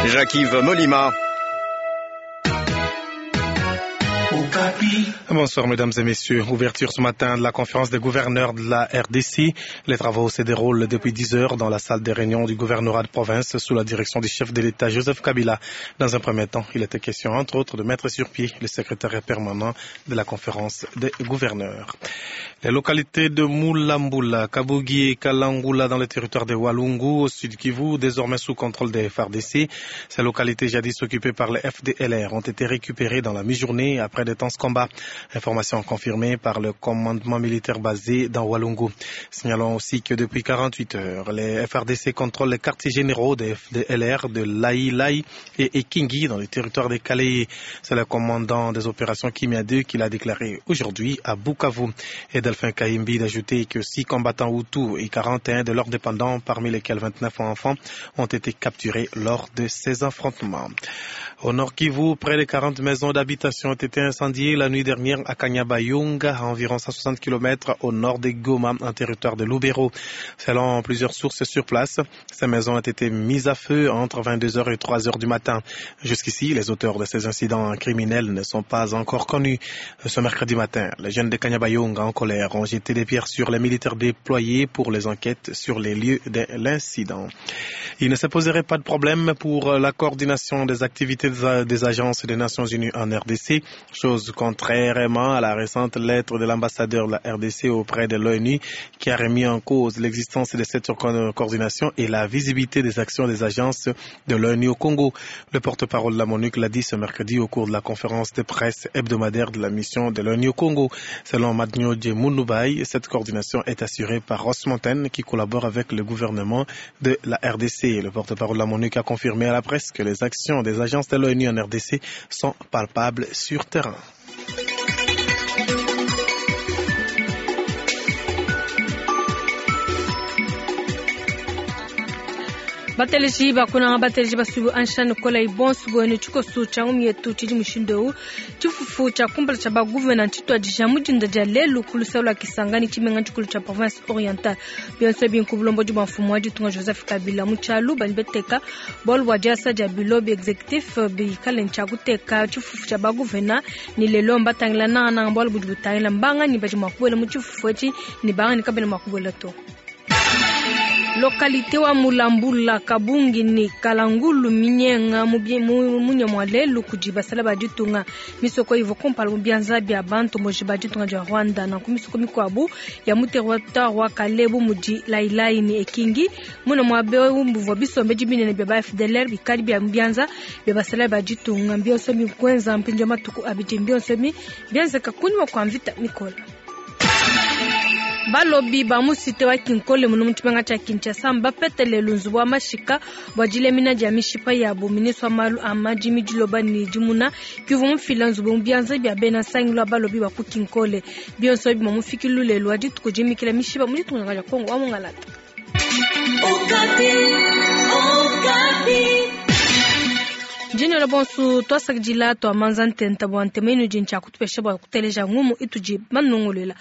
Jacques-Yves Molima. Bonsoir mesdames et messieurs. Ouverture ce matin de la conférence des gouverneurs de la RDC. Les travaux se déroulent depuis 10 heures dans la salle des réunions du gouvernorat de province sous la direction du chef de l'État Joseph Kabila. Dans un premier temps, il était question entre autres de mettre sur pied le secrétariat permanent de la conférence des gouverneurs. Les localités de Moulambula, Kabugi et Kalangula dans le territoire de Walungu au sud Kivu, désormais sous contrôle des FARDC. Ces localités jadis occupées par les FDLR ont été récupérées dans la mi-journée après de tenses combats. Information confirmée par le commandement militaire basé dans Walungu. Signalons aussi que depuis 48 heures, les FRDC contrôlent les quartiers généraux des FDLR de Laï Laï et Ekingi dans le territoire des Calais. C'est le commandant des opérations Kimia 2 qui l'a déclaré aujourd'hui à Bukavu. Et Delphin Kaimbi d'ajouter que 6 combattants Hutus et 41 de leurs dépendants, parmi lesquels 29 enfants, ont été capturés lors de ces affrontements. Au nord Kivu, près de 40 maisons d'habitation ont été incendiées la nuit dernière à Kanyabayonga, à environ 160 km au nord de Goma, en territoire de Lubero. Selon plusieurs sources sur place, ces maisons ont été mises à feu entre 22h et 3h du matin. Jusqu'ici, les auteurs de ces incidents criminels ne sont pas encore connus. Ce mercredi matin, les jeunes de Kanyabayonga en colère ont jeté des pierres sur les militaires déployés pour les enquêtes sur les lieux de l'incident. Il ne se poserait pas de problème pour la coordination des activités des agences des Nations Unies en RDC, chose contrairement à la récente lettre de l'ambassadeur de la RDC auprès de l'ONU qui a remis en cause l'existence de cette coordination et la visibilité des actions des agences de l'ONU au Congo. Le porte-parole de la MONUC l'a dit ce mercredi au cours de la conférence de presse hebdomadaire de la mission de l'ONU au Congo. Selon Madnio Mounoubay, cette coordination est assurée par Ross Mountain qui collabore avec le gouvernement de la RDC. Le porte-parole de la MONUC a confirmé à la presse que les actions des agences de l'ONU en RDC sont palpables sur terrain. Bateleji bakunanga bateleji basubu anshani kola ibonsu bwenu tshikoso tshia ngumi yetu tshidi mushindu eu tshifufu tshia kumpala tshia baguvena ntshituadija mudinda dia lelu ku luseke lua kisangani tshimenga tshikulu tshia province orientale. Bionso ebi nku bulombodi bua mfumu wa ditunga Joseph Kabila mu tshialu badi beteka bualu bua diasa dia bilo bi executif bikale ntshia kuteka tshifufu tshia baguvena ni lelo mbatangila nangananga bualu budi butangila mbangani badi mua kubuela mu tshifufu etshi ne bangani kabena mua kubuela to. Localité wa Mulambula Kabungi ni Kalangulu minyenga munya mwa lelu kudi basala ba ditunga misoko ivo kumpala mu bianza bia bantu moji ba ditunga dia Rwanda na ku misoko mikuabu ya mu territoire wa Kalebu mudi Lailai ni Ekingi muna mwa beu mbuvua bisombe dibinene bia ba FDLR bikali bia bianza bia basala ba ditunga mbionso mikwenza mpinjo matuku abidi mbionso mi bianzeka kunywa kwa mvita mikola. Balobi ba mu cité wa Kinkole muno mu tshimenga tshia Kinshasa mbapetele lunzu bua mashika bua dilemina dia mishipa yabo. Ministre wa malu a madimi diloba ne dimuna kivua mufila nzubu mu bianza bia bena nsangilu wa balobi ba ku Kinkole. Bionso ebi mua mufikilu lelu wa dituku dimikila mishipa mu ditunga dia Kongo wa Mungalata. Jina bonsu twasakidila twamanza ntenta bua ntema inu di ntshia kutupesha bua kuteleja ngumu itudi manunguluila.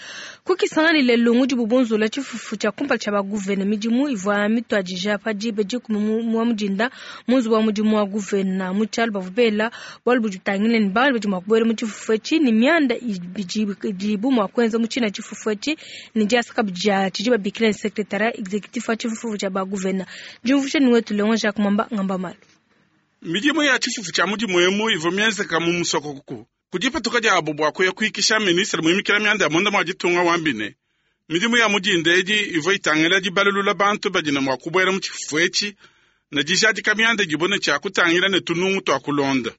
Kukisangani lelu ngudi bubunzula tshifufu tshia kumpala tshia baguvena midimu ivua mituadija pa diba dikumi mua mudinda mu nzubu wa mudimu wa guvena mu tshialu bavua bela bualu budi butangila ne bantu badi mua kubuela mu tshifufu etshi ne mianda idibu mua kuenza mu tshina tshifufu etshi ne diasa kabidi dia tshidi babikila ne secrétariat exécutif wa tshifufu tshia baguvena. Diumvuija ne wetu Leon Jacques Mwamba ngamba malu. Midimu ya tshifufu tshia mudimu emu ivua mienzeka mu musokoko kudipatuka diabo bua kuya kuikisha ministre muimikila mianda ya munda mua ditunga wambine. Midimu ya mudinda edi ivua itangila dibalulula bantu badi ne mua kubuela mu tshifufu etshi ne dijadika mianda idibo ne tshia kutangila ne tunungu tua kulonda.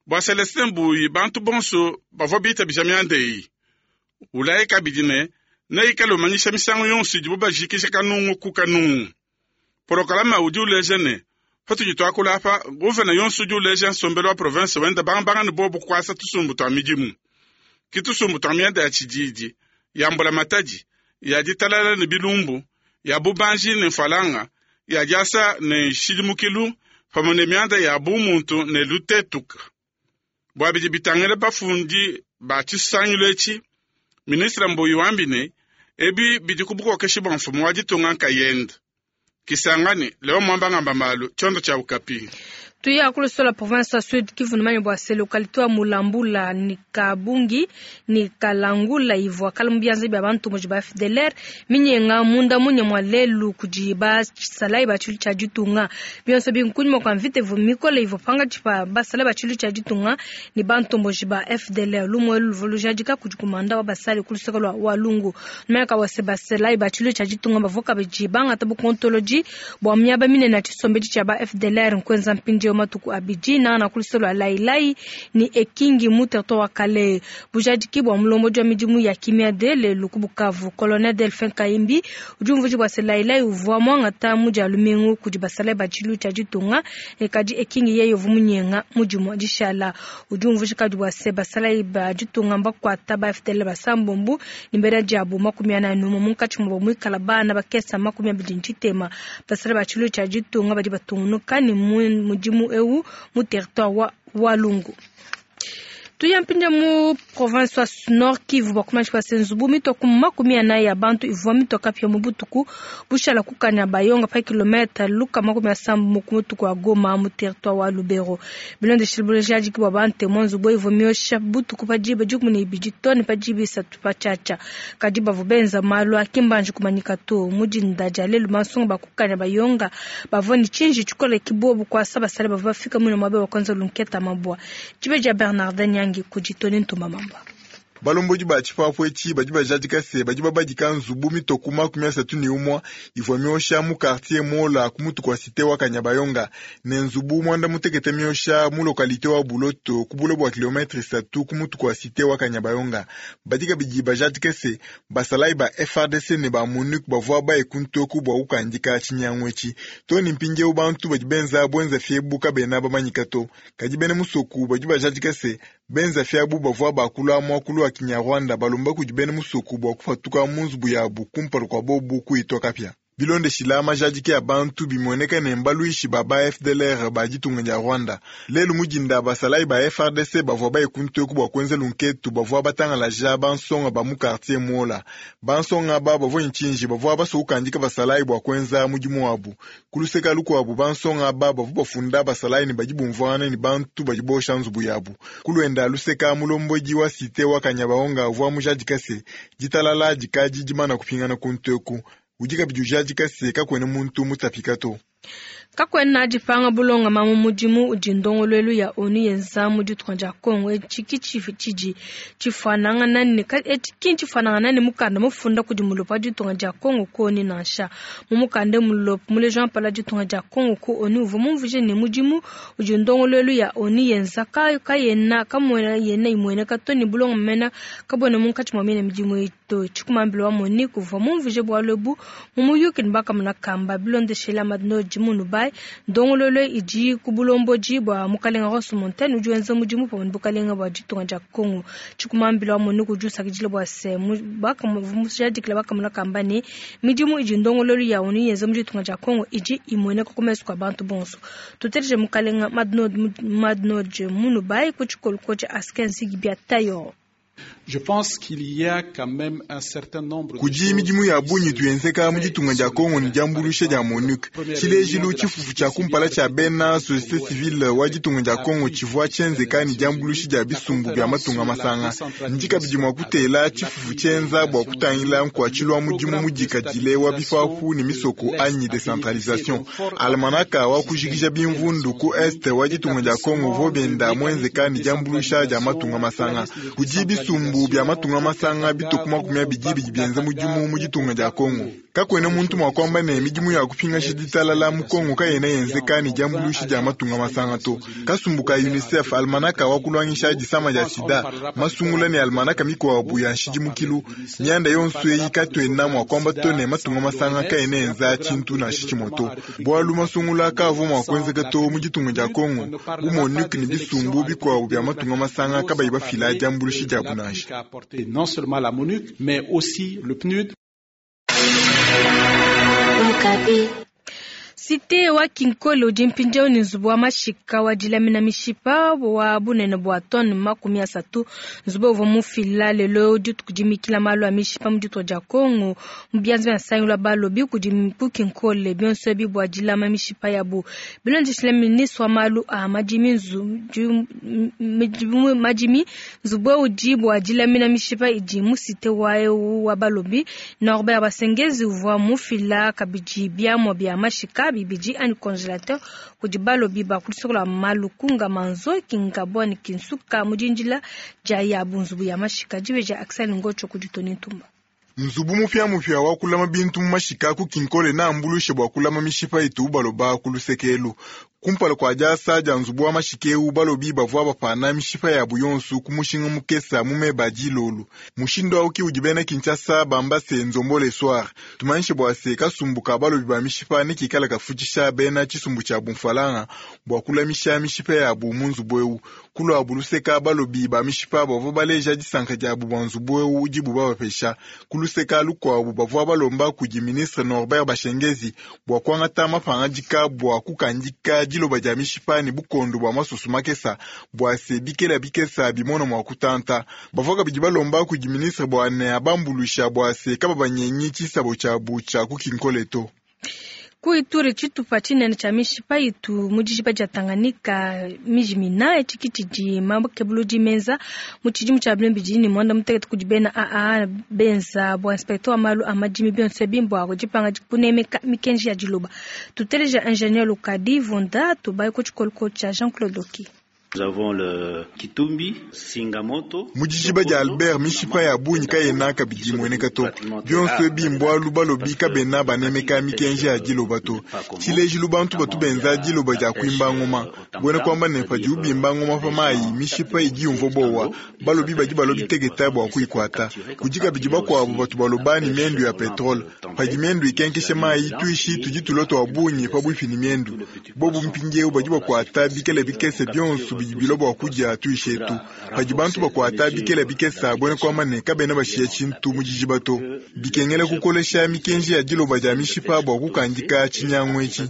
Bua Celestin Mbuyi bantu bonso bavua bitabija mianda eyi. Ulaye kabidi ne neikale umanyisha misangu yonso idibo bajikija kanungu ku kanungu. Porokalama udi uleja ne patudi tuakula apa guvena yonso udi uleja nsombelu wa province wenda bangabanga ne bobu kuasa tusumbu tua midimu. Ki tusumbu tua mianda ya tshididi, ya mbula matadi, ya ditalala ne bilumbu, ya bubanji ne mfalanga, ya diasa ne nshidimukilu, pamue ne mianda ya bumuntu ne lutetuka. Bua bidi bitangila bafundi ba tshisangilu etshi, ministre Mbuyi wambi ne Ebi bidi ku bukokeshi bua mfumu wa ditunga nkayende. Kisangani, Leo Mwamba ngamba malu, tshiondo tshia Okapi. Tuya kulusola province ya Sud Kivu numanye bua se localité wa Mulambula ni Kabungi ni Kalangula ivua kala mu bianza bia bantu muji ba FDLR minyenga munda munye mwa lelu kudi basalayi ba tshilu tshia ditunga bionso binkunyima kwa mvita ivua mikole ivua pangatshi pa basalayi ba tshilu tshia ditunga ni bantomboji ba FDLR lumue luvua lujadika kudi kumanda wa basalayi ku luseke lua Walungu numanye ka wase basalayi ba tshilu tshia ditunga bavua kabidi bangata bukontoloji bua miaba minene ya tshisombedi tshia ba FDLR nkuenza mpindieu matuku abidi nana ku luseke lua Lailai ni Ekingi mu territoire wa Kalehe. Bujadiki bua mulombodi wa midimu ya kimia de lelu ku Bukavu, Colonel Delphin Kayimbi udi umvuija bua se Lailai uvua muangata mu dia lumingu kudi basalayi ba tshilu tshia ditunga ne kadi Ekingi yeye uvua munyenga mu dimue dishala. Udi umvuija kadi bua se basalayi ba ditunga mbakuata ba FDL basambombo ne bena diabu 41 munkatshi muabo muikala bana bakesa 23. Basalayi ba tshilu tshia ditunga badi batungunuka ne mudimu eu mu territoire wa Walungu. Tuya mpindia mu province wa Nord Kivu bakumanyi kwa nzubu mitoka 40 ya bantu ivua mitoka pia mu butuku bushala kukanya bayonga pa kilomètre luka 70 mu mutuku wa Goma mu territoire wa Lubero. Bilondeshile bulejadiki bua bante mu nzubu ivua miosha butuku pa diba 12 tone pa diba 3 pa chacha. Kadi bavu benza malu akimbanji kumanyika to mu dinda dia lelu mansonga bakukanya bayonga bavua ni chinji chikole kibobu kwa saba sale bavua bafika mu mwabe bakwanza lunketa mabwa. Chibeja Bernardin Nyangi kujitone ntuma mamba. Balomboji ba tshipapu etshi badi bajadika se badi babadika nzubu mitoku 31 ivua miosha mu quartier Mola ku mutu kwa cité wa Kanyabayonga ne nzubu 96 miosha mu localité wa Buloto ku bule bua kilometre 3 ku mutu kwa cité wa Kanyabayonga. Badi kabidi bajadika se basalayi ba FARDC ne ba MONUC bavua baye kuntoku bua kukandika tshinyangu etshi to ne mpindieu bantu badi benza bwenza fiebu kabena bamanyika to. Kadi bena musoku badi bajadika se benza fiabu bavua bakula muakulu wa Kinyarwanda balomba kudi bena musoku bua kupatuka mu nzubu yabu kumpala kua bobu kuitwa kapia. Bilondeshila majadiki ya bantu bimueneka ne mbaluishi ba ba FDLR ba ditunga dia Rwanda. Lelu mudinda basalayi ba FARDC bavua baye kuntoku bua kuenza lunketu bavua batangalaja bansonga ba mu quartier Mola. Bansonga aba bavua nchinji bavua basua kukandika basalayi bua kuenza mudimu wabu. Kuluseka lukuabu bansonga aba bavua bafunda basalayi ne badi bumvuangana ne bantu badi bosha nzubu yabu. Kulwenda luseka mulombodi wa cité wa Kanyabayonga uvua mujadika se ditalala dikadi dimana kupingana kuntoku. Udi kabidi ujadika se kakwena muntu mutapika to. Kakwena dipanga bulonga mamu mudimu udi ndongoluelu ya ONU yenza mu ditunga dia Congo etshi tshidi tshifuanangana ne mukanda mufunda kudi mulopo wa ditunga dia Congo ku ONU nansha. Mu mukanda mulopo muleji wa mpala ditunga dia Congo ku ONU uvua mumvuije ne mudimu udi ndongoluelu ya ONU yenza kayena kamwena yena imueneka to ne bulonga mena kabwena munkatshi mua mine midimu ito. Tshikumambilo wa MONUC uvua mumvuije bualu ebu mu muyuki ne bakamuna kamba bilondeshela madino jimunu bai ndongololo idi ku bulomboji bua mukalenga Ross Montaigne udi wenza mudimu pamue ne bukalenga bua ditunga dia Congo. Tshikumambilo wa MONUC udi usakidila bua se mujadikila bakamuna kamba ne midimu idi ndongololo ya ONU yenza mu ditunga dia Congo idi imueneka ku mesu kua bantu bonso. Tuteleje mukalenga Madnod Munubai ku tshikoloko tshia Asken Zigibia Tayor. Je pense qu'il y a quand même un certain nombre kudi midimu ya bunyi tuyenzeka mu ditunga dia Congo ne diambulusha dia MONUC. Tshilejilu tshifufu tshia kumpala tshia bena société civile wa ditunga dia Congo tshivua tshienzeka ne diambulusha dia bisumbu bia matunga masanga. Ndi kabidi mua kutela tshifufu tshienza bua kutangila nkuatshilu wa mudimu mudikadile wa bifafu ne misoko anyi decentralisation. Almanaka wa kujikija bimvundu ku est wa ditunga dia Congo uvua benda muenzeka ne diambulusha dia matunga masanga. Kudi bisumbu bya matunga masanga bitoku 20 bidi bienza mudimu mu ditunga dia Congo. Kakwena muntu mua kuamba ne midimu ya kupingasha ditalala mu Congo kayena yenzeka ne diambuluisha dia matunga masanga to. Kasumbu ka UNICEF almanaka wa kulwangisha disama dia sida masungula ne almanaka mikuabu ya nshidimukilu mianda yonso eyi katwena mua kuamba to ne matunga masanga kayena yenza tshintu nansha tshimue to. Bualu masungula kaavua mua kuenzeka to mu ditunga dia Congo bu MONUC ne bisumbu bikuabu bia matunga masanga kabayi bafila diambuluisha diabu nansha. Non seulement la MONUC, mais aussi le PNUD. Cité wa Kinkole udi mpindieu ne nzubu wa mashika wa dilamina mishipa wa bunene bua tonne 30. Nzubu uvua mufila lelo dituku dimikila malu a mishipa mu ditunga dia Congo mu bianza bia nsangilu wa balobi kudi ku Kinkole, bionso ebi bua dilama mishipa yabu. Bilondeshile ministre wa malu a madimi nzubu udi bua dilamina mishipa idi mu cité wa eu wa balobi. Norbert Basengezi uvua mufila kabidi biamua bia mashika bibidi anyi congélateur kudi balobi ba kulisokola malukunga manzo kingabwa ni kinsuka mudindila dia yabu nzubu ya mashika dibeja Axel Ngocho kudi Tony Ntumba. Nzubu mupya wa kulama bintu mu mashika ku Kinkole na ambulushe bua kulama mishipa itu baloba ku lusekelu. Kumpala kua diasa dia nzubu wa mashika eu balobi bavua bapana mishipa yabu yonsu ku mushinga mukesa mu meba dilolu. Mushindu auki udi bena Kinshasa bamba se nzombo le soir. Tumanyishe bua se kasumbu ka balobi ba mishipa ne kikala kafutshisha bena tshisumbu tshia bumfalanga bua kulamisha mishipa yabu mu nzubu eu. Kulua buluseka balobi ba mishipa bavua baleja disanka diabu bua nzubu eu udibu babapesha. Kuluseka lukuabu bavua balomba kudi ministre Norbert Bashengezi bua kuangata mapangadika bua kukandika diloba dia mishipa ne bukondo bua masusu makesa bua se bikela bikesa bimona mua kutanta. Bavua kabidi balomba kudi ministre bua ne abambulusha bua se kababanyengi tshisabo tshiabu tshia ku Kinkole to. Ku Ituri tshitupa tshinene tshia mishipa itu mu dijiba dia Tanganyika mijimina etshi tshidi makebuludi menza mu tshidimu tshia 2016 kudi bena AA benza bua inspecteur wa malu a madimi bionso ebi bua kudipanga kunemeka mikenji ya diloba. Tuteleja ingénieur Lukadi Vonda tubaye ku tshikoloko tshia Jean-Claude Oki. Nous avons le Kitumbi, Singamoto. Mu dijiba dia Albert mishipa ya bungi kayena kabidi imueneka to. Bionso ebi mbwalu balobi kabena banemeka mikenji ya diloba to. Tshilejilu bantu batu benza diloba dia kuimba ngoma. Buena kuamba ne padi ubimba ngoma pa mayi mishipa idi yumvua bowa. Balobi badi balobi teketa bua kuyikwata. Kudi kabidi bakuabu batu baloba ni miendu ya petrole. Padi miendu ikenkesha mayi tuishi tudi tuloto wa bungi pabuipi ni miendu. Bobu mpindieu badi bakuata bikele bikese bionso bilobo kudia tuishetu. Padi bantu bakuata bikela bikesa buena kuamba ne kabena bashiya tshintu mu dijiba to. Bikengela kukolesha mikenji ya diloba dia mishipa bua kukandika tshinyangu etshi.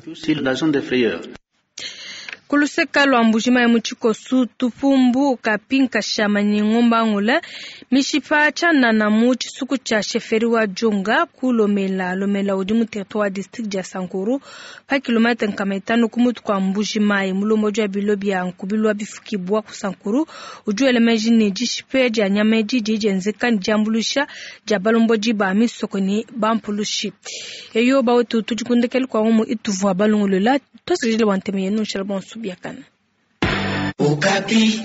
Kuluseka lwa mbujima ya muchikosu tupumbu kapinka shama ni ngomba ngula mishipa tshanana mu tshisuku tshia sheferi wa Jonga ku Lomela Lomela udi mu territoire district dia Sankuru pa kilomètre 5 ku mutu kwa mbujima ya mulombo dia bilo bia nkubilwa bifukibwa ku Sankuru udi elemeji ne dishipe dia nyama didi dienzeka ne diambulusha dia balomboji ba misoko ne bampulushi. Eyo bawetu tudikundekele kwa umu ituvua balungulula tosijile wanteme yenu nshala bonso. Okapi.